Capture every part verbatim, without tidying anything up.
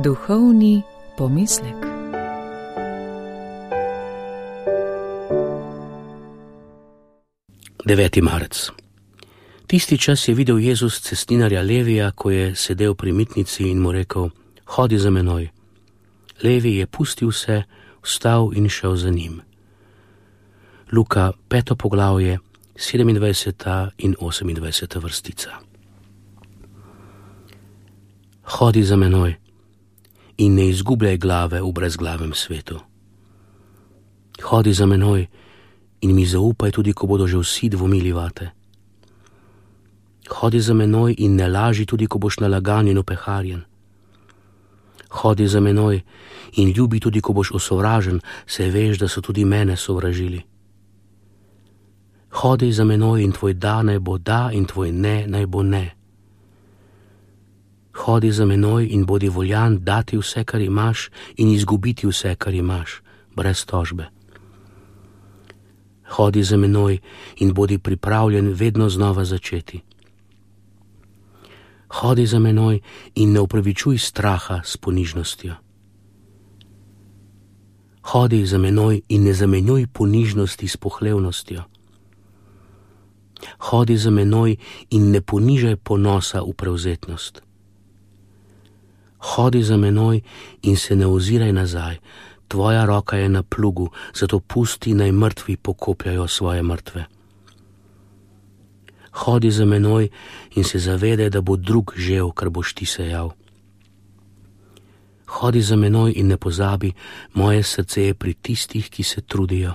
Duhovni pomislek. deveti marec. Tisti čas je videl Jezus cestninarja Levija, ko je sedel pri mitnici in mu rekel: hodi za menoj. Levi je pustil vse, vstal in šel za njim. Luka, peto poglavje, sedemindvajseta in osemindvajseta vrstica. Hodi za menoj in ne izgubljaj glave v brezglavem svetu. Hodi za menoj in mi zaupaj tudi, ko bodo že vsi dvomili vate. Hodi za menoj in ne laži tudi, ko boš nalagan in opeharjen. Hodi za menoj in ljubi tudi, ko boš osovražen, saj veš, da so tudi mene sovražili. Hodi za menoj in tvoj da naj bo da in tvoj ne naj bo ne. Hodi za menoj in bodi voljan dati vse, kar imaš, in izgubiti vse, kar imaš, brez tožbe. Hodi za menoj in bodi pripravljen vedno znova začeti. Hodi za menoj in ne upravičuj straha s ponižnostjo. Hodi za menoj in ne zamenjuj ponižnosti s pohlevnostjo. Hodi za menoj in ne ponižaj ponosa v prevzetnost. Hodi za menoj in se ne oziraj nazaj, tvoja roka je na plugu, zato pusti, naj mrtvi pokopljajo svoje mrtve. Hodi za menoj in se zavedaj, da bo drug žel, kar boš ti sejal. Hodi za menoj in ne pozabi, moje srce je pri tistih, ki se trudijo.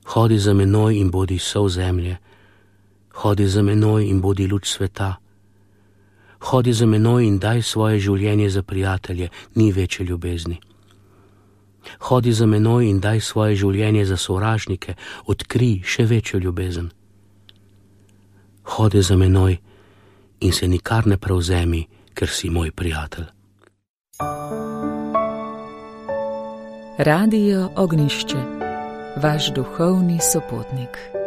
Hodi za menoj in bodi sol zemlje. Hodi za menoj in bodi luč sveta. Hodi za menoj in daj svoje življenje za prijatelje, ni večje ljubezni. Hodi za menoj in daj svoje življenje za sovražnike, odkrij še večjo ljubezen. Hodi za menoj in se nikar ne prevzemi, ker si moj prijatelj. Radio Ognjišče, vaš duhovni sopotnik.